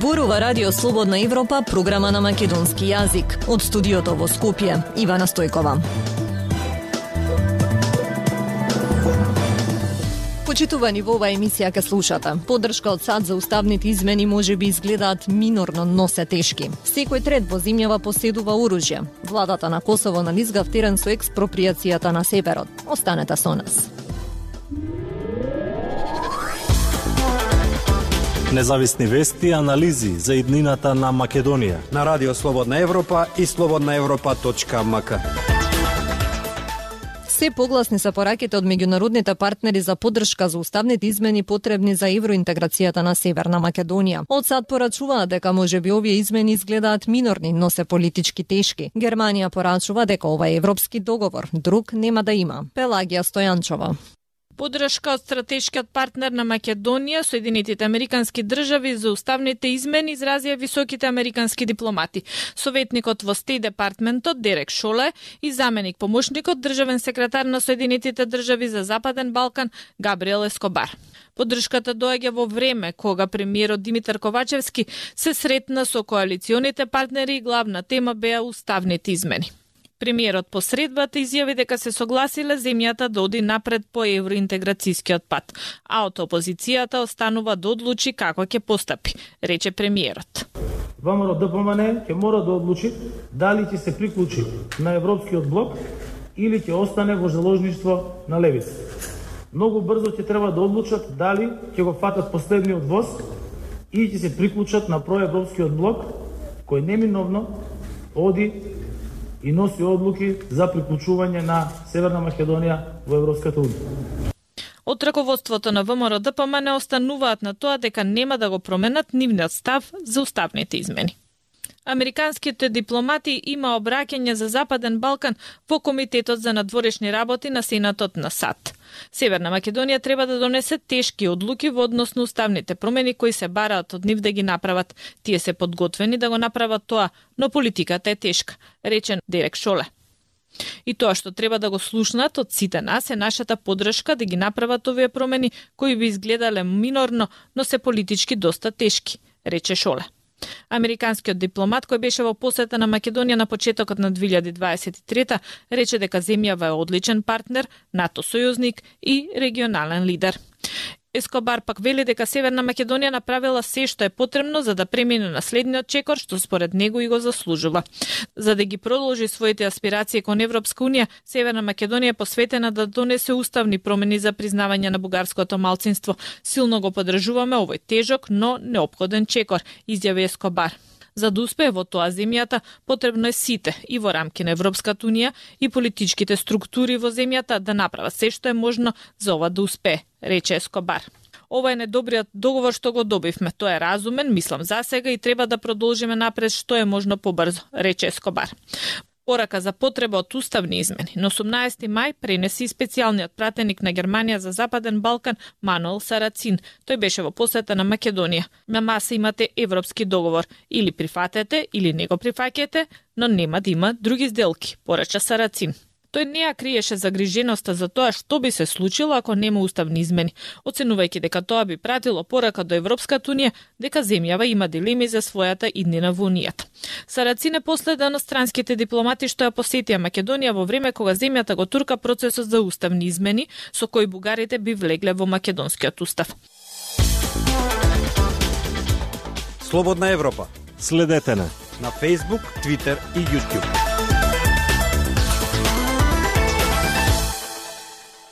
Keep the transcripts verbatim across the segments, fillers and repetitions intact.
Зборува Радио Слободна Европа, програма на македонски јазик. Од студиото во Скопје, Ивана Стојкова. Почитувани, во оваа емисија ке слушате. Поддршка од САД за уставните измени може би изгледаат минорно, но се тешки. Секој трет во земјава поседува оружје. Владата на Косово нализга втерен со експроприацијата на северот. Останете со нас. Независни вести и анализи за иднината на Македонија на Радио Слободна Европа и слободна европа точка ем ка. Се погласни се пораките од меѓународните партнери за поддршка за уставните измени потребни за евроинтеграцијата на Северна Македонија. Од САД порачуваат дека можеби овие измени изгледаат минорни, но се политички тешки. Германија порачува дека ова е европски договор, друг нема да има. Пелагија Стојанчова. Поддршка од стратешкиот партнер на Македонија, Соединетите Американски држави за уставните измени изразија високите американски дипломати. Советникот во Стејт департментот Дерек Шоле и заменик помошникот државен секретар на Соединетите држави за Западен Балкан Габриел Ескобар. Поддршката доаѓа во време кога премиерот Димитар Ковачевски се сретна со коалиционите партнери и главна тема беа уставните измени. Премиерот по средбата изјави дека се согласиле земјата да оди напред по евроинтеграцијскиот пат, а од опозицијата останува да одлучи како ќе постапи, рече премиерот. ВМРО ДПМН ќе мора да одлучи дали ќе се приклучи на европскиот блок или ќе остане во заложништво на левица. Многу брзо ќе треба да одлучат дали ќе го фатат последниот воз и ќе се приклучат на проевропскиот блок кој неминовно оди и носи одлуки за приклучување на Северна Македонија во Европската унија. Од раководството на ВМРО ДПМН остануваат на тоа дека нема да го променат нивниот став за уставните измени. Американските дипломати има обраќање за Западен Балкан во Комитетот за надворешни работи на Сенатот на САД. Северна Македонија треба да донесе тешки одлуки во однос на уставните промени кои се бараат од нив да ги направат. Тие се подготвени да го направат тоа, но политиката е тешка, речен Дерек Шоле. И тоа што треба да го слушнат од сите нас е нашата поддршка да ги направат овие промени кои би изгледале минорно, но се политички доста тешки, рече Шоле. Американскиот дипломат кој беше во посета на Македонија на почетокот на две илјади дваесет и трета рече дека земјава е одличен партнер, НАТО сојузник и регионален лидер. Ескобар пак вели дека Северна Македонија направила се што е потребно за да премине на следниот чекор што според него и го заслужува. За да ги продолжи своите аспирации кон Европска унија, Северна Македонија е посветена да донесе уставни промени за признавање на бугарското малцинство. Силно го поддржуваме овој тежок, но неопходен чекор, изјави Ескобар. За да успее во тоа земјата, потребно е сите, и во рамки на Европската унија, и политичките структури во земјата да направат се што е можно за ова да успее, рече Ескобар. Ова е недобриот договор што го добивме. Тој е разумен, мислам за сега и треба да продолжиме напред што е можно побрзо, рече Ескобар. Порака за потреба од уставни измени. На осумнаесети мај пренеси специјалниот пратеник на Германија за Западен Балкан Мануел Сарацин. Тој беше во посета на Македонија. На маса имате европски договор. Или прифатете, или не го прифаќате, но нема да има други сделки, порача Сарацин. Тој не ја криеше загриженоста за тоа што би се случило ако нема уставни измени, оценувајќи дека тоа би пратило порака до Европската унија дека земјава има дилеми за својата иднина во унијата. Сарацин е последен од странските дипломати што ја посетија Македонија во време кога земјата го турка процесот за уставни измени со кои бугарите би влегле во македонскиот устав. Слободна Европа. Следете на на Facebook, Twitter и YouTube.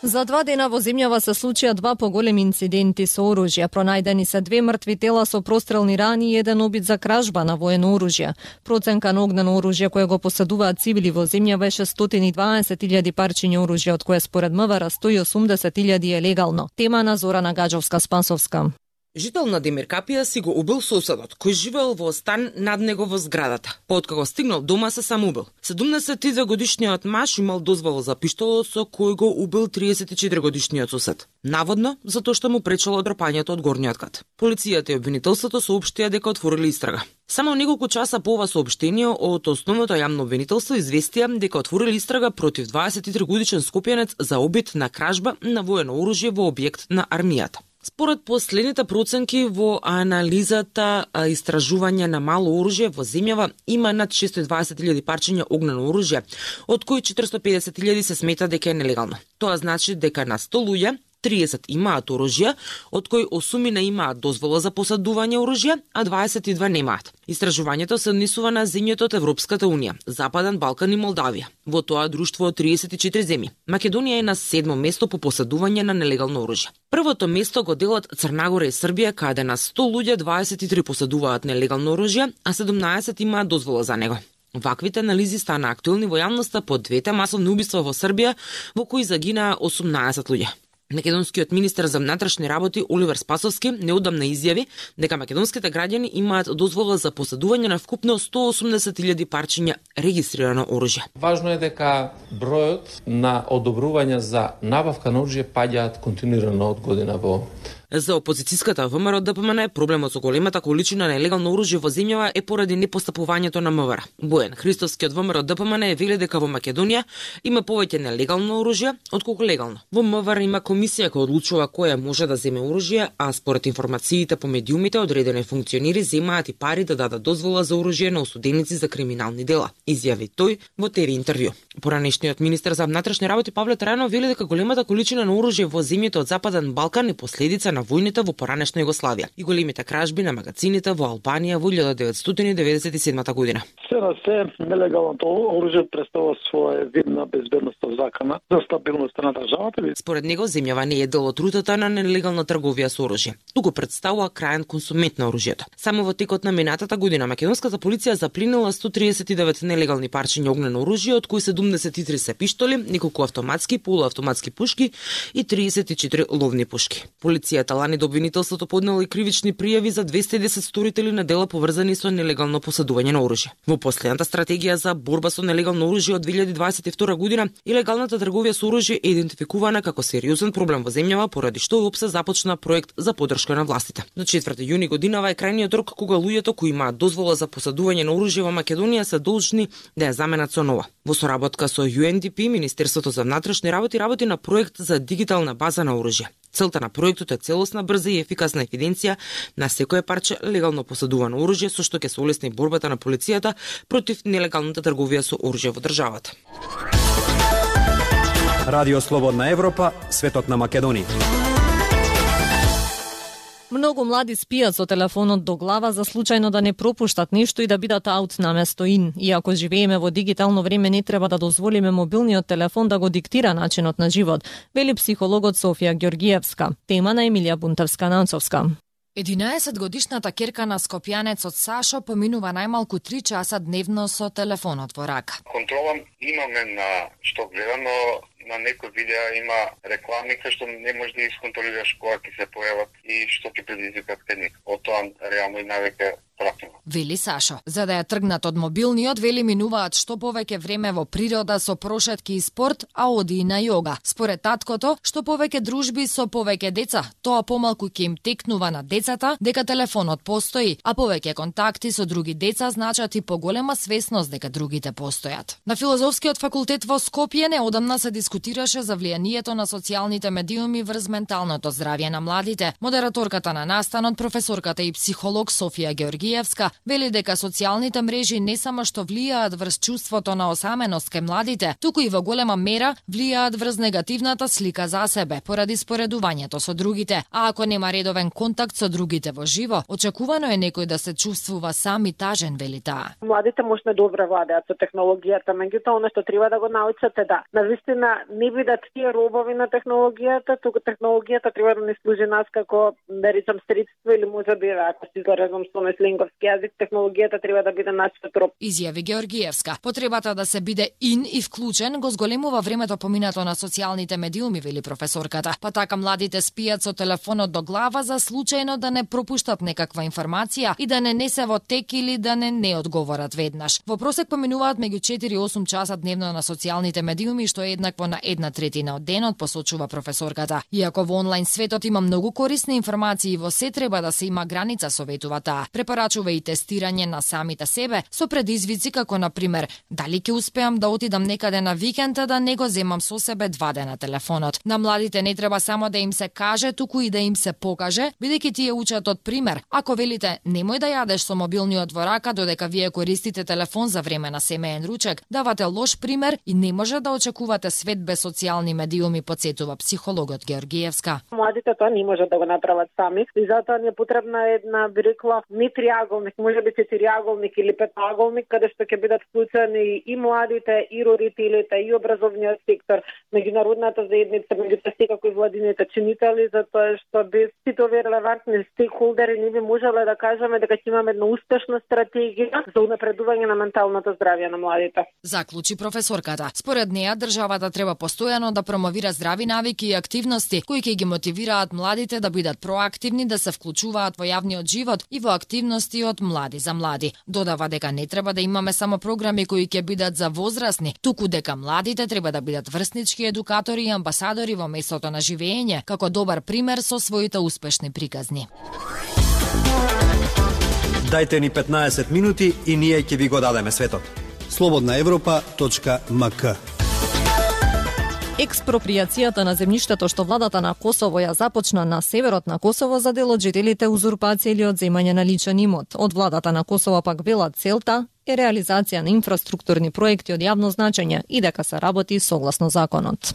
За два дена во земјава се случија два поголеми инциденти со оружје. Пронајдени се две мртви тела со прострелни рани и еден обид за кражба на воено оружје. Проценка на огнено оружје кое го поседуваат цивили во земјава е шестстотини и дваесет илјади парчиња оружје, од кое според МВР сто и осумдесет илјади е легално. Тема на Зорана Гаджовска-Спасовска. Жител на Демиркапија си го убил соседот, кој живеел во стан над него во зградата. Па откако стигнал дома се самоубил. седумдесет и две годишниот маж имал дозвола за пиштолот со кој го убил триесет и четири годишниот сосед. Наводно, затоа што му пречело дропањето од горниот кат. Полицијата и обвинителството соопштија дека отворили истрага. Само неколку часа по ова соопштение од основното јавно обвинителство известија дека отворили истрага против дваесет и три годишен скопјанец за обид на кражба на воено оружје во објект на армијата. Според последните проценки во анализата истражување на мало оружје во земјава има над шесто и дваесет илјади парчиња огнено оружје, од кои четиристо и педесет илјади се смета дека е нелегално. Тоа значи дека на сто луѓе триесет имаат оружје, од кои осумина имаат дозвола за посадување оружје, а дваесет и две немаат. Истражувањето се однесува на земјите од Европската унија, Западен Балкан и Молдавија. Во тоа друштво од триесет и четири земји. Македонија е на седмо место по посадување на нелегално оружје. Првото место го делат Црна Гора и Србија, каде на сто луѓе дваесет и три посадуваат нелегално оружје, а седумнаесет имаат дозвола за него. Ваквите анализи стана актуелни во јавноста по двете масовни убиства во Србија, во кои загинаа осумнаесет луѓе. Македонскиот министер за внатрешни работи Оливер Спасовски неодамна изјави дека македонските граѓани имаат дозвола за посадување на вкупно сто осумдесет илјади парчиња регистрирано оружје. Важно е дека бројот на одобрувања за набавка на оружје паѓаат континуирано од година во. За опозицијската ВМРО ДПМН проблемот со големата количина на нелегално оружје во земјава е поради непостапувањето на МВР. Бојан Христовски од ВМРО ДПМН вели дека во Македонија има повеќе нелегално оружје отколку легално. Во МВР има комисија која одлучува која може да земе оружје, а според информациите по медиумите одредени функционери земаат и пари да дадат дозвола за оружје на осуденици за криминални дела, изјави тој во ТВ интервју. Поранешниот министер за внатрешни работи Павле Трајанов вели дека големата количина на оружје во земјите од Западен Балкан е последица на војните во поранешна Југославија и големите кражби на магазините во Албанија во илјада деветстотини деветдесет и седма година. Се на се, нелегалното оружје представува своја видна безбедноста закана за стабилноста на државата. Според него, земјава не е дел од рутата на нелегална трговија со оружје, туку представува крајен консумент на оружјето. Само во текот на минатата година македонската полиција запленила сто триесет и девет нелегални парчиња огнено оружје, од кои седумдесет и три се пиштоли, неколку автоматски, полуавтоматски пушки и триесет и четири ловни пушки. Полицијата лани до обвинителството поднела и кривични пријави за двесте и десет сторители на дела поврзани со нелегално посадување на оружје. Во последната стратегија за борба со нелегално оружје од две илјади дваесет и втора година, илегалната трговија со оружје е идентификувана како сериозен проблем во земјава, поради што ОПСЕ започна проект за поддршка на властите. До четврти јуни годинава е крајниот рок кога луѓето кои имаат дозвола за посадување на оружје во Македонија се должни да ја заменат со нова. Во соработка со Ю Ен Ди Пи, Министерството за внатрешни работи работи на проект за дигитална база на оружје. Целта на проектот е целосна, брза и ефикасна евиденција на секое парче легално посадувано оружје, со што ќе се олесни борбата на полицијата против нелегалната трговија со оружје во државата. Радио Слободна Европа, светот на Македонија. Многу млади спијат со телефонот до глава за случајно да не пропуштат нешто и да бидат аут наместо ин. Иако живееме во дигитално време, не треба да дозволиме мобилниот телефон да го диктира начинот на живот, вели психологот Софија Ѓоргиевска. Тема на Емилија Бунтевска-Нанцовска. единаесетгодишната керка на скопјанецот Сашо поминува најмалку три часа дневно со телефонот во рака. Контрола имаме на што гледано, на некои видеа има реклами кои што не можеш да исконтролираш кога ќе се појават и што ќе предизвикат кај него. Од тоа реално и навеќе пратено. Вели Сашо. За да ја тргнат од мобилниот, вели минуваат што повеќе време во природа со прошетки и спорт, а оди и на јога. Според таткото, што повеќе дружби со повеќе деца, тоа помалку ќе им текнува на децата дека телефонот постои, а повеќе контакти со други деца значат и поголема свесност дека другите постојат. На Филозофскиот факултет во Скопје неодамна се дискутираше за влијанието на социјалните медиуми врз менталното здравје на младите. Модераторката на настанот, професорката и психолог Софија Ѓоргиевска, вели дека социјалните мрежи не само што влијаат врз чувството на осаменост кај младите, туку и во голема мера влијаат врз негативната слика за себе, поради споредувањето со другите. А ако нема редовен контакт со другите во живо, очекувано е некој да се чувствува сам и тажен, вели таа. Младите можат добро владеат со технологијата, меѓутоа она што треба да го научат е да навистина не бидат тие робови на технологијата, туку технологијата треба да не служи нас како, да речам, средство или може би, ако си заразам со меслинговски јазик, технологијата треба да биде нашиот роб. Изјави Ѓоргиевска. Потребата да се биде ин и вклучен го зголемува времето поминато на социјалните медиуми, вели професорката. Па така младите спијат со телефонот до глава за случајно да не пропуштат некаква информација и да не не се во тек или да не не одговорат веднаш. Во просек поминуваат меѓу четири и осум часа дневно на социјалните медиуми, што е еднакво на една третина од денот, посочува професорката. Иако во онлайн светот има многу корисни информации, во се треба да се има граница, советува таа. Препарација вклучува и тестирање на самите себе со предизвици како на пример дали ќе успеам да отидам некаде на викенд да не го земам со себе два дена телефонот. На младите не треба само да им се каже, туку и да им се покаже, бидејќи тие учат од пример. Ако велите немој да јадеш со мобилниот во рака додека вие користите телефон за време на семеен ручек, давате лош пример и не може да очекувате свет без социјални медиуми, подсетува психологот Георгиевска. Младите тоа не можат да го направат сами и затоа ни е потребна една, би рекла, не триаголник, може би четириаголник или петаголник, каде што ќе бидат вклучени и младите, и родителите, и образовниот сектор, меѓународната заедница, меѓу секако и владините чинители, затоа што без сите овие релевантни стейкхолдери не би можеле да кажеме дека ќе имаме една успешна стратегија за унапредување на менталното здравје на младите. Заклучи професорката. Според неја, државата треба постојано да промовира здрави навики и активности кои ќе ги мотивираат младите да бидат проактивни, да се вклучуваат во јавниот живот и во активности од млади за млади. Додава дека не треба да имаме само програми кои ќе бидат за возрастни, туку дека младите треба да бидат врснички едукатори и амбасадори во местото на живење, како добар пример со своите успешни приказни. Дајте ни петнаесет минути и ние ќе ви го дадеме светот. слободна европа точка ем ка. Експроприацијата на земјиштето што владата на Косово ја започна на северот на Косово за дел од жителите узурпација или одземање на личен имот. Од владата на Косово пак велат целта е реализација на инфраструктурни проекти од јавно значење и дека се работи согласно законот.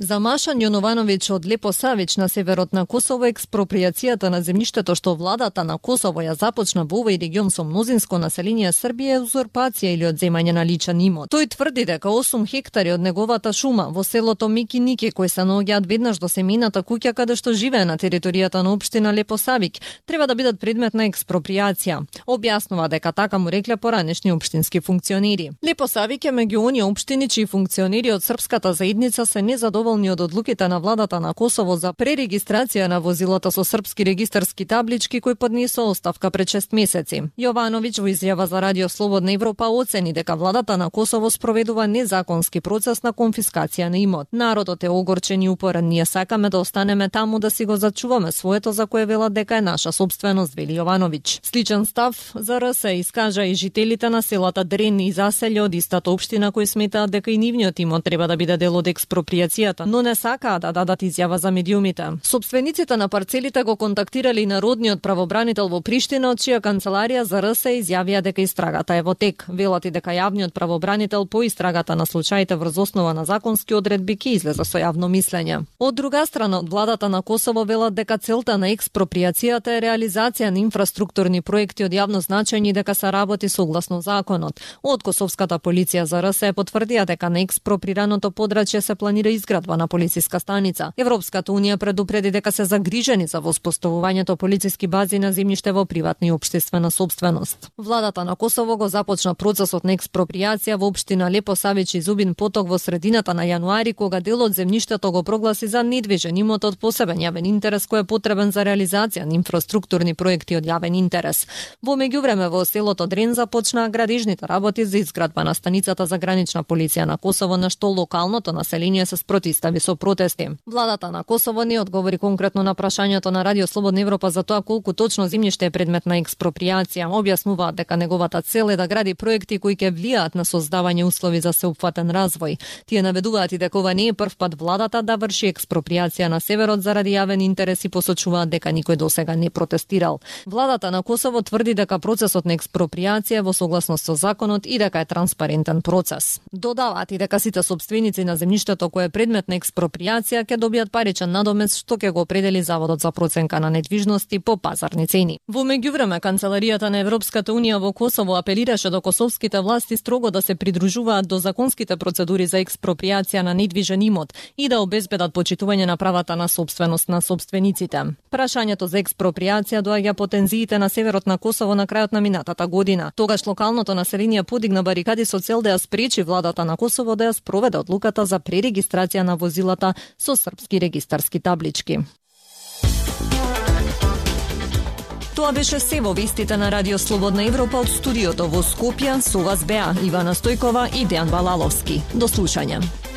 За Машан Јоновановиќ од Лепо Савич на северот на Косово, експроприацијата на земјиштето што владата на Косово ја започна во овој регион со мнозинско население Србија е узурпација или одземање на личен имот. Тој тврди дека осум хектари од неговата шума во селото Микиники, кои се наоѓаат веднаш до семејната куќа каде што живее на територијата на општина Лепо Савик, треба да бидат предмет на експроприација. Објаснува дека така му рекле поранешни општински функционери. Лепо Савик е меѓу оние општини чии функционери од српската заедница се незадоволни од одлуките на владата на Косово за пререгистрација на возилата со српски регистарски таблички кои поднесо оставка пред шест месеци. Јовановиќ во изјава за Радио Слободна Европа оцени дека владата на Косово спроведува незаконски процес на конфискација на имот. Народот е огорчен и упорен, ние сакаме да останеме таму да си го зачуваме своето за кое велат дека е наша собственост, вели Јовановиќ. Сличен став за РС искажа и жителите на селата Дрен и Заселје од истата општина кои сметаат дека и нивниот имот треба да биде дел од експроприацијата, но не сакаат да дадат изјава за медиумите. Собствениците на парцелите го контактирали народниот правобранител во Приштина, од чија канцеларија за РС изјавија дека истрагата е во тек. Велат и дека јавниот правобранител по истрагата на случаите врз основа на законски одредби ќе излезе со јавно мислење. Од друга страна, од владата на Косово велат дека целта на експроприацијата е реализација на инфраструктурни проекти од јавно значење и дека се работи согласно законот. Од косовската полиција за РС потврдија дека на експроприраното подрачје се планира изградба на полициска станица. Европската унија предупреди дека се загрижени за воспоставувањето полициски бази на земјиште во приватна и општествена собственост. Владата на Косово го започна процесот на експроприација во општина Лепо Савич и Зубин Поток во средината на јануари, кога дел од земјиштето го прогласи за недвижен имот од посебен јавен интерес кој е потребен за реализација на инфраструктурни проекти од јавен интерес. Во меѓувреме во селото Дрен започнаа градежните работи за изградба на станицата за гранична полиција на Косово, на што локалното население се спротивстави со протести. Владата на Косово не одговори конкретно на прашањето на Радио Слободна Европа за тоа колку точно земјиште е предмет на експроприација. Објаснуваат дека неговата цел е да гради проекти кои ќе влијаат на создавање услови за сеопфатен развој. Тие наведуваат и дека ова не е прв пат владата да врши експроприација на северот заради јавен интерес и посочуваат дека никој досега не протестирал. Владата на Косово тврди дека процесот на експроприација во согласност со законот и дека е транспарентен процес. Додаваат и дека сите собственици на земјиштето кое е предмет на експроприација ќе добијат паричен надомес што ќе го определи Заводот за проценка на недвижности по пазарни цени. Во меѓувреме, канцеларијата на Европската унија во Косово апелираше до косовските власти строго да се придружуваат до законските процедури за експроприација на недвижен имот и да обезбедат почитување на правата на собственост на собствениците. Прашањето за експроприација доаѓа по тензиите на северот на Косово на крајот на минатата година. Тогаш локалното население подигна барикади со цел да ја спречи владата на Косово да ја спроведе одлуката за пререгистрација на возилата со српски регистарски таблички. Тоа беше се во вестите на Радио Слободна Европа од студиото во Скопје. Со вас беа Ивана Стојкова и Дејан Балаловски. До слушање.